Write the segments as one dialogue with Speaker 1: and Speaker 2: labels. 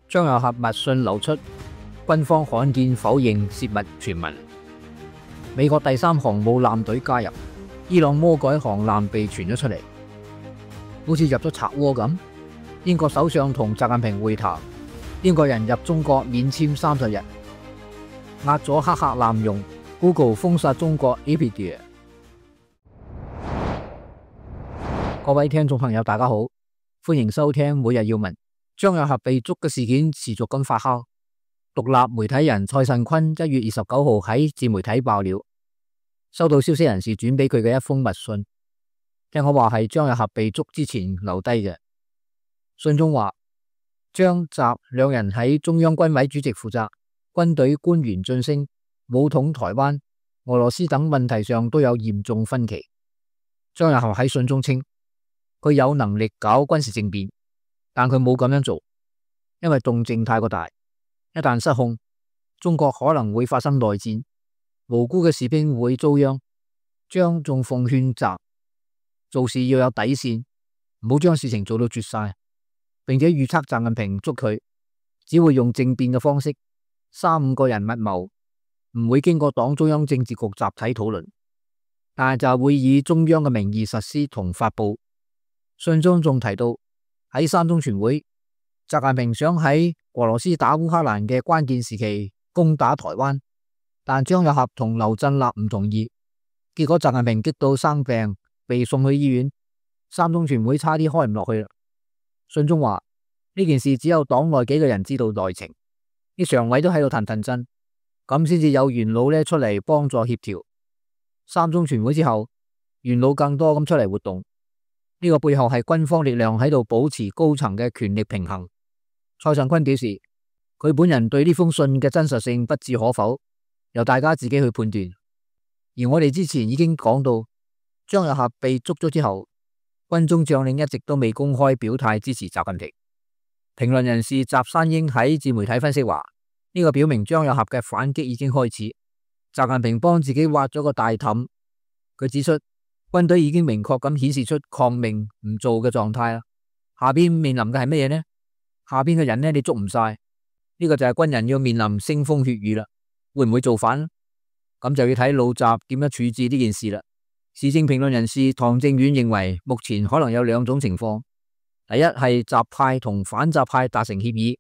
Speaker 1: 張又俠密訊流出，軍方罕見否認洩密傳聞。美國第3航母艦隊加入，伊朗魔改航艦被傳咗出嚟，好似入咗賊窩咁。英國首相同習近平會談，英國人入中國免簽30日，壓咗黑客濫用 ，Google 封殺中國 Wikipedia。各位聽眾朋友，大家好，歡迎收聽每日要聞。張又俠被捉嘅事件持續咁發酵。獨立媒體人蔡慎坤1月29號喺自媒體爆料，收到消息人士轉俾佢嘅一封密信，聽講話係張又俠被捉之前留低嘅。信中話，張習兩人喺中央軍委主席負責、軍隊官員晉升、武統台灣、俄羅斯等問題上都有嚴重分歧。張又俠喺信中稱，佢有能力搞軍事政變，但佢冇咁樣做，因為動靜太過大，一旦失控，中國可能會發生內戰，無辜嘅士兵會遭殃。張仲奉勸習做事要有底線，唔好將事情做到絕晒，並且預測習近平捉佢只會用政變嘅方式，3-5個人密謀，唔會經過黨中央政治局集體討論，但係就會以中央嘅名義實施同發佈。信中仲提到喺3中全會，習近平想喺俄羅斯打烏克蘭嘅關鍵時期攻打台灣，但張又俠同劉振立唔同意，結果習近平激到生病，被送去醫院，3中全會差啲開唔落去啦。信中話呢件事只有黨內幾個人知道內情，啲常委都喺度騰騰震，咁先至有元老出嚟幫助協調。3中全會之後，元老更多咁出嚟活動，呢個背後係軍方力量喺度保持高層嘅權力平衡。蔡慎坤表示，佢本人對呢封信嘅真實性不置可否，由大家自己去判斷。而我哋之前已經講到，張又俠被捉咗之後，軍中將領一直都未公開表態支持習近平。評論人士習山英喺自媒體分析話，呢個表明張又俠嘅反擊已經開始，習近平幫自己挖咗個大氹。佢指出，軍隊已經明確咁顯示出抗命唔做嘅狀態啦。下邊面臨嘅係乜嘢呢？下邊嘅人你捉唔晒，呢個就係軍人要面臨腥風血雨啦。會唔會造反？咁就要睇老習點樣處置呢件事啦。時政評論人士唐正遠認為，目前可能有2種情況：第一係習派同反習派達成協議；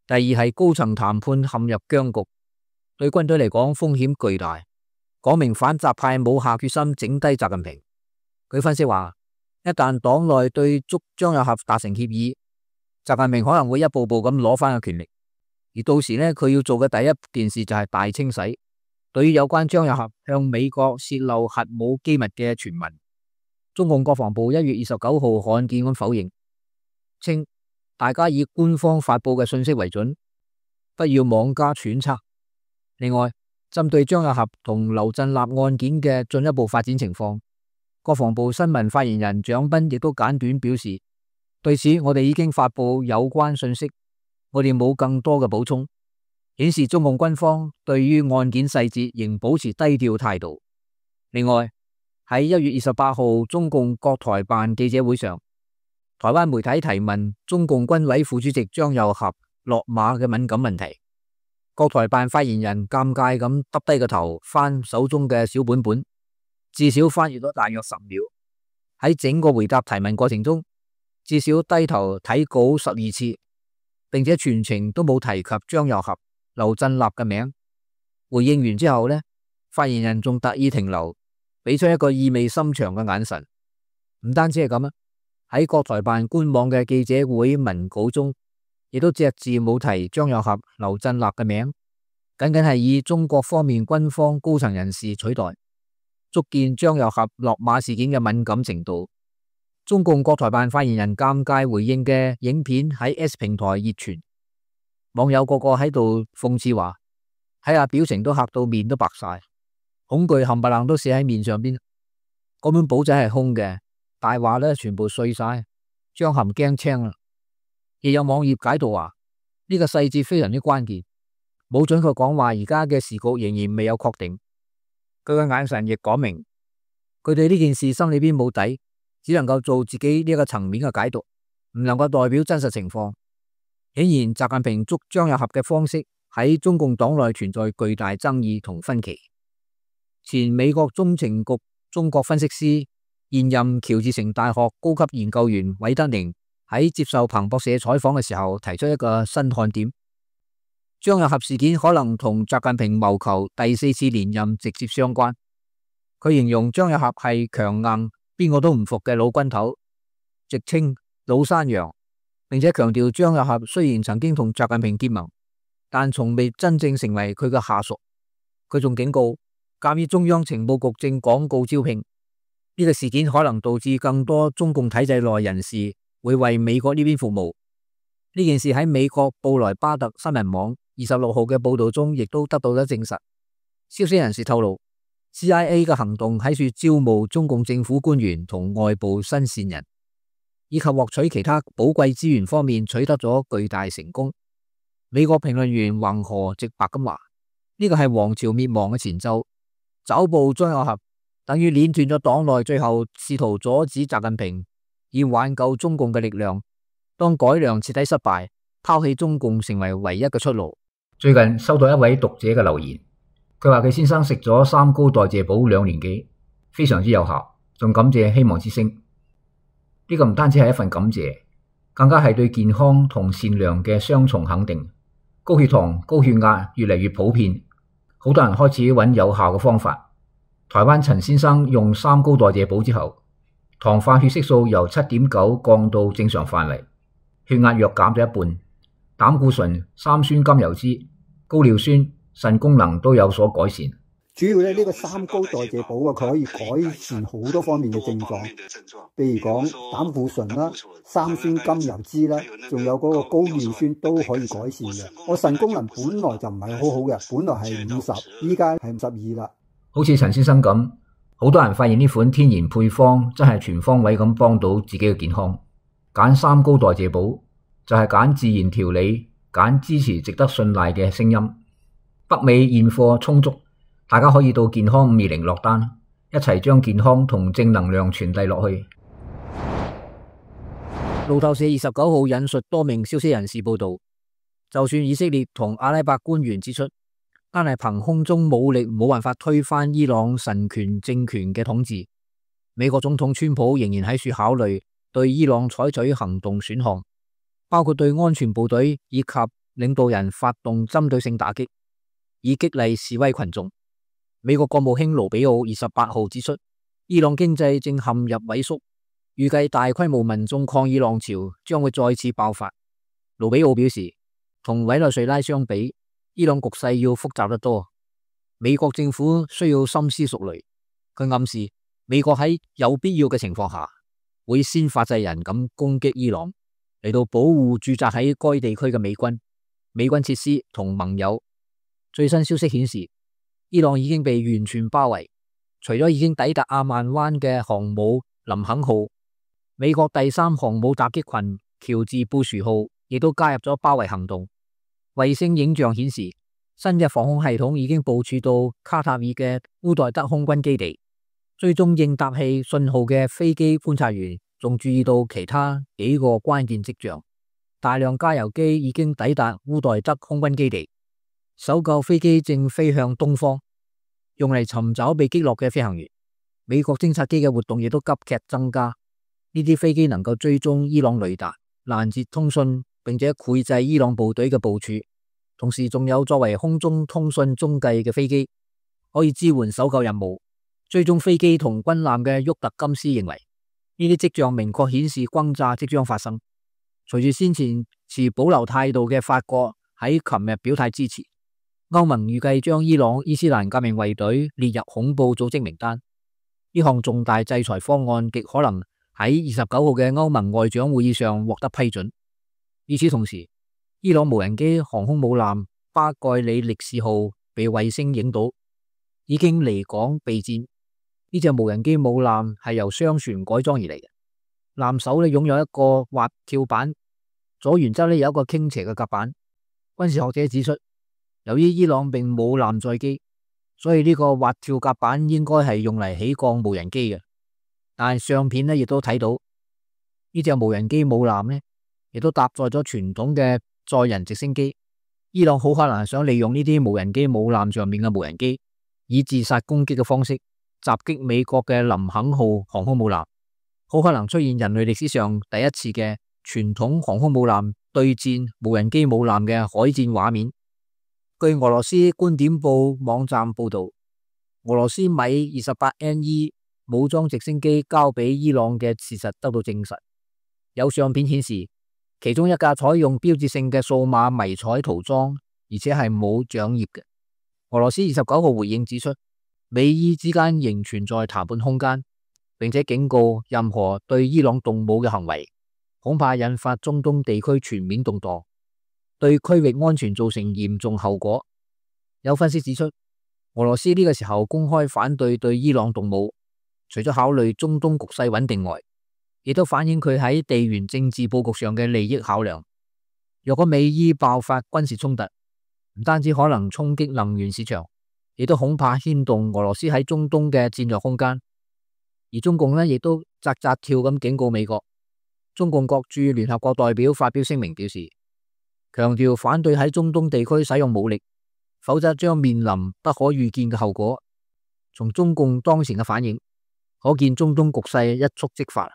Speaker 1: 第二係高層談判陷入僵局。對軍隊嚟講風險巨大，講明反習派冇下決心整低習近平。佢分析話，一旦黨內對捉張又俠達成協議，習近平可能會一步步咁攞翻個權力，而到時佢要做嘅第一件事就係大清洗。對於有關張又俠向美國泄露核武機密嘅傳聞，中共國防部1月29號罕見咁否認，稱大家以官方發佈嘅信息為準，不要妄加揣測。另外，針對張又俠同劉振立案件嘅進一步發展情況，國防部新聞發言人蔣斌亦都簡短表示，對此我哋已經發佈有關信息，我哋冇更多嘅補充，顯示中共軍方對於案件細節仍保持低調態度。另外，喺1月28號中共國台辦記者會上，台灣媒體提問中共軍委副主席張又俠落馬嘅敏感問題，國台辦發言人尷尬咁耷低個頭翻手中嘅小本本，至少翻閱咗大約10秒。喺整個回答提問過程中，至少低頭睇稿12次，並且全程都冇提及張又俠、劉振立嘅名。回應完之後發言人仲特意停留，俾出一個意味深長嘅眼神。唔單止係咁，喺國台辦官網嘅記者會文稿中，亦都隻字冇提張又俠、劉振立嘅名，僅僅係以中國方面軍方高層人士取代，足見張又俠落馬事件嘅敏感程度。中共國台辦發言人尷尬回應嘅影片喺 S 平台熱傳，網友個個喺度諷刺話，睇下表情都嚇到面都白晒，恐懼冚唪唥都寫喺面上邊。嗰本簿仔係空嘅，大話全部碎晒，張含驚青啦。亦有網頁解讀話，呢個細節非常之關鍵，冇準確講話而家嘅時局仍然未有確定。佢嘅眼神亦講明，佢對呢件事心裏邊冇底，只能夠做自己呢個層面嘅解讀，唔能夠代表真實情況。顯然，習近平捉張又俠嘅方式喺中共黨內存在巨大爭議同分歧。前美國中情局中國分析師、現任喬治城大學高級研究員韋德寧喺接受彭博社採訪嘅時候提出一個新看點：張又俠事件可能同習近平謀求第4次連任直接相關。佢形容張又俠係強硬、邊個都唔服嘅老軍頭，直稱老山羊，並且強調張又俠雖然曾經同習近平結盟，但從未真正成為佢嘅下屬。佢仲警告，鑒於中央情報局正廣告招聘，呢個事件可能導致更多中共體制內人士會為美國呢邊服務。呢件事喺美國布萊巴特新聞網26號嘅報道中亦都得到咗證實。消息人士透露， CIA 嘅行動喺處招募中共政府官員同外部新線人，以及獲取其他寶貴資源方面取得咗巨大成功。美國評論員橫河直白咁話：呢個係王朝滅亡嘅前奏。抓捕張又俠等於鏈斷咗黨內最後試圖阻止習近平以挽救中共嘅力量。當改良徹底失敗，拋棄中共成為唯一嘅出路。
Speaker 2: 最近收到一位讀者嘅留言，佢話佢先生食咗三高代謝補2年幾，非常之有效，仲感謝希望之聲。呢個唔單止係一份感謝，更加係對健康同善良嘅雙重肯定。高血糖、高血壓越嚟越普遍，好多人開始揾有效嘅方法。台灣陳先生用三高代謝補之後，糖化血色素由7.9降到正常範圍，血壓約減咗一半，膽固醇、三酸甘油酯、高尿酸、腎功能都有所改善。
Speaker 3: 主要呢個三高代謝補啊，佢可以改善好多方面嘅症狀，譬如講膽固醇啦、三酸甘油酯啦，仲有嗰個高尿酸都可以改善嘅。我腎功能本來就唔係好好嘅，本來係50，依家係52啦。
Speaker 2: 好似陳先生咁，好多人發現呢款天然配方真係全方位咁幫到自己嘅健康。揀三高代謝補就係揀自然調理，揀支持值得信賴嘅聲音。北美現貨充足，大家可以到健康520落單，一齊將健康同正能量傳遞落去。
Speaker 1: 路透社29號引述多名消息人士報道，就算以色列同阿拉伯官員指出，單係憑空中武力冇辦法推翻伊朗神權政權嘅統治，美國總統川普仍然喺處考慮對伊朗採取行動選項，包括對安全部隊以及領導人發動針對性打擊，以激勵示威群眾。美國國務卿盧比奧28號指出，伊朗經濟正陷入萎縮，預計大規模民眾抗議浪潮將會再次爆發。盧比奧表示，同委內瑞拉相比，伊朗局勢要複雜得多，美國政府需要深思熟慮。佢暗示美國喺有必要嘅情況下，會先發制人咁攻擊伊朗，嚟到保護駐紮喺該地區嘅美軍設施同盟友。最新消息顯示，伊朗已經被完全包圍，除咗已經抵達阿曼灣嘅航母林肯號，美國第3航母襲擊群喬治布殊號亦都加入咗包圍行動。衛星影像顯示，新嘅防空系統已經部署到卡塔爾嘅烏代德空軍基地。追蹤應答器信號嘅飛機觀察員仲注意到其他幾個關鍵跡象。大量加油機已經抵達烏代德空軍基地，搜救飛機正飛向東方，用嚟尋找被擊落嘅飛行員。美國偵察機嘅活動亦都急劇增加。呢啲飛機能夠追蹤伊朗雷達，攔截通訊，並且繪製伊朗部隊嘅部署。同時仲有作為空中通訊中繼嘅飛機，可以支援搜救任務。追蹤飛機同軍艦嘅沃特金斯認為，呢啲跡象明確顯示轟炸即將發生。隨住先前持保留態度嘅法國喺琴日表態支持，歐盟預計將伊朗伊斯蘭革命衛隊列入恐怖組織名單。呢項重大制裁方案極可能喺29號嘅歐盟外長會議上獲得批准。與此同時，伊朗無人機航空母艦巴蓋里力士號被衛星影到，已經離港備戰。呢隻無人機母艦係由商船改裝而嚟嘅，艦首擁有一個滑跳板，左舷側有一個傾斜嘅甲板。軍事學者指出，由於伊朗並冇艦載機，所以呢個滑跳甲板應該係用嚟起降無人機嘅。但係相片亦都睇到呢隻無人機母艦亦都搭載咗傳統嘅載人直升機。伊朗好可能係想利用呢啲無人機母艦上面嘅無人機，以自殺攻擊嘅方式襲擊美國嘅林肯號航空母艦，好可能出現人類歷史上第一次嘅傳統航空母艦對戰無人機母艦嘅海戰畫面。據俄羅斯觀點報網站報道，俄羅斯米 28NE 武裝直升機交俾伊朗嘅事實得到證實。有相片顯示，其中一架採用標誌性嘅數碼迷彩塗裝，而且係冇槳葉嘅。俄羅斯29號回應指出，美伊之間仍存在談判空間，並且警告任何對伊朗動武嘅行為，恐怕引發中東地區全面動盪，對區域安全造成嚴重後果。有分析指出，俄羅斯呢個時候公開反對伊朗動武，除咗考慮中東局勢穩定外，亦都反映佢喺地緣政治佈局上嘅利益考量。若果美伊爆發軍事衝突，唔單止可能衝擊能源市場，亦都恐怕牽動俄羅斯喺中東嘅戰略空間。而中共呢，亦都扎扎跳咁警告美國。中共國駐聯合國代表發表聲明表示，強調反對喺中東地區使用武力，否則將面臨不可預見嘅後果。從中共當前嘅反應，可見中東局勢一觸即發。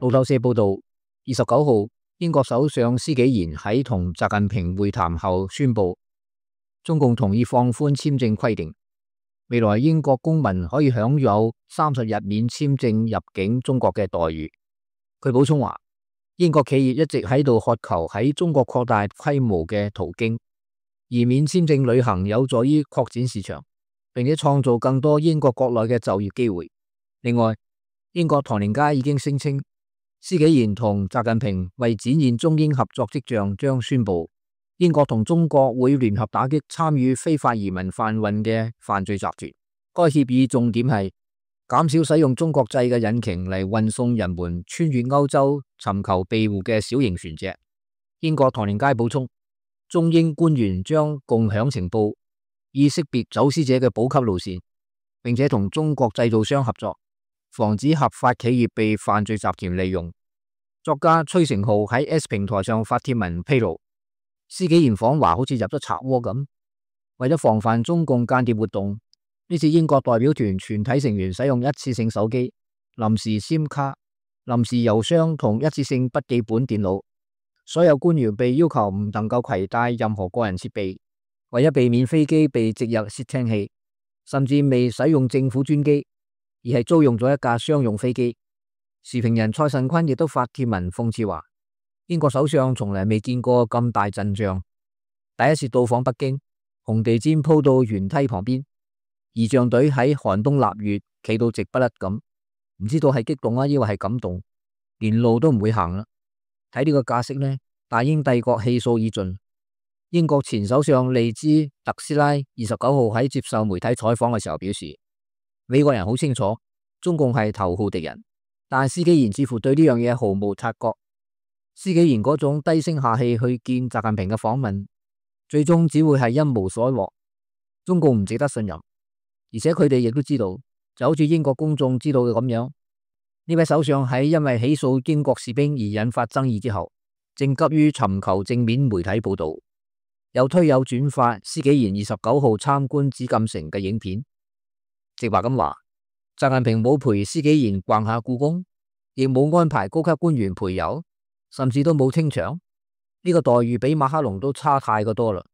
Speaker 1: 路透社報道，29號英國首相施紀賢喺同習近平會談後宣布，中共同意放寬簽證規定，未來英國公民可以享有30日免簽證入境中國嘅待遇。佢補充話，英國企業一直喺度渴求喺中國擴大規模嘅途徑，而免簽證旅行有助於擴展市場，並且創造更多英國國內嘅就業機會。另外，英國唐寧街已經聲稱，施紀賢同習近平為展現中英合作跡象，將宣布英國同中國會聯合打擊參與非法移民販運嘅犯罪集團。該協議重點係減少使用中國製嘅引擎嚟運送人們穿越歐洲尋求庇護嘅小型船隻。英國唐寧街補充，中英官員將共享情報，以識別走私者嘅補給路線，並且同中國製造商合作，防止合法企業被犯罪集團利用。作家崔成浩喺 S 平台上發帖文披露，施紀賢訪華好似入咗賊窩咁。為咗防範中共間諜活動，呢次英國代表團全體成員使用一次性手機、臨時 SIM 卡、臨時郵箱同一次性筆記本電腦。所有官員被要求唔能夠攜帶任何個人設備，為咗避免飛機被植入竊聽器，甚至未使用政府專機，而係租用咗一架商用飛機。時評人蔡慎坤亦都發帖文諷刺話，英國首相從來未見過咁大陣仗，第一次到訪北京，紅地毯鋪到舷梯旁邊，儀仗隊喺寒冬臘月企到直不甩咁，唔知道係激動啊，抑或係感動，連路都唔會行啦。睇呢個架式呢，大英帝國氣數已盡。英國前首相利茲特斯拉29號喺接受媒體採訪嘅時候表示，美國人好清楚中共係頭號敵人，但施紀賢似乎對呢樣嘢毫無察覺。施紀賢嗰種低聲下氣去見習近平嘅訪問，最終只會係一無所獲。中共唔值得信任，而且佢哋亦都知道，就好似英國公眾知道嘅咁樣，呢位首相喺因為起訴英國士兵而引發爭議之後，正急於尋求正面媒體報道，有推有轉發施紀賢29號參觀紫禁城嘅影片，直話咁話，習近平冇陪施紀賢逛下故宮，亦冇安排高級官員陪遊，甚至都冇清場，呢個待遇比馬克龍都差太過多啦，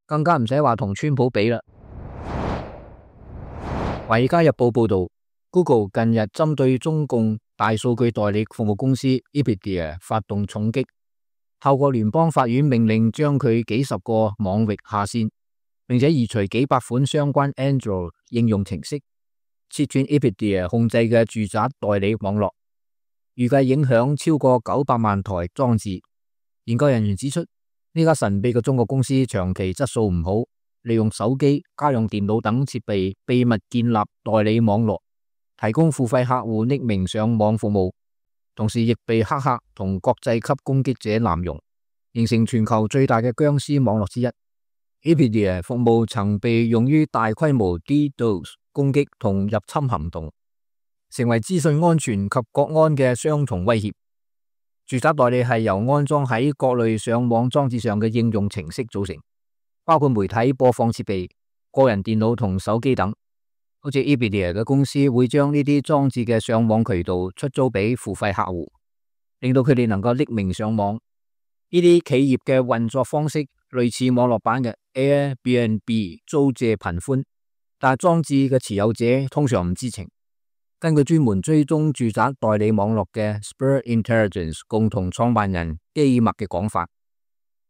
Speaker 1: 更加唔使話同川普比啦。華爾街日報報道，Google 近日針對中共大數據代理服務公司 Expedia 發動重擊，透過聯邦法院命令將佢幾十個網域下線，並且移除幾百款相關 Android 應用程式，切斷 Expedia 控制嘅住宅代理網絡，預計影響超過900萬台裝置。研究人員指出，呢家神秘嘅中國公司長期質素唔好，利用手機、家用電腦等設備秘密建立代理網絡，提供付費客戶匿名上網服務，同時亦被黑客同國際級攻擊者濫用，形成全球最大嘅僵屍網絡之一。Expedia 服務曾被用於大規模 DDoS 攻擊同入侵行動，成為資訊安全及國安嘅雙重威脅。住宅代理係由安裝喺各類上網裝置上嘅應用程式組成，包括媒體播放設備、個人電腦同手機等。好似 Ebidia 嘅公司會將呢啲裝置嘅上網渠道出租俾付費客戶，令到佢哋能夠匿名上網。呢啲企業嘅運作方式類似網絡版嘅 Airbnb 租借頻寬，但係裝置嘅持有者通常唔知情。根據專門追蹤住宅代理網絡嘅 Spur Intelligence 共同創辦人基默嘅講法，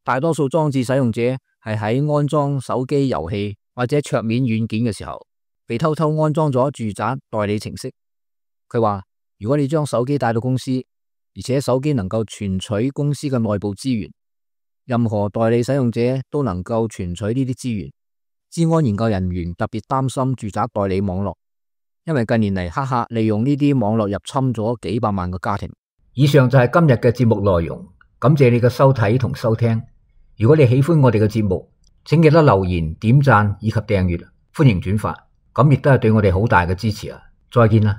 Speaker 1: 大多數裝置使用者係喺安裝手機遊戲或者桌面軟件嘅時候，被偷偷安裝咗住宅代理程式。佢話，如果你將手機帶到公司，而且手機能夠存取公司嘅內部資源，任何代理使用者都能夠存取呢啲資源。資安研究人員特別擔心住宅代理網絡，因為近年嚟黑客利用呢啲網絡入侵咗幾百萬個家庭。
Speaker 2: 以上就係今日嘅節目內容，感謝你嘅收睇同收聽。如果你喜歡我哋嘅節目，請記得留言、點讚以及訂閱，歡迎轉發，咁亦都係對我哋好大嘅支持啊！再見啦。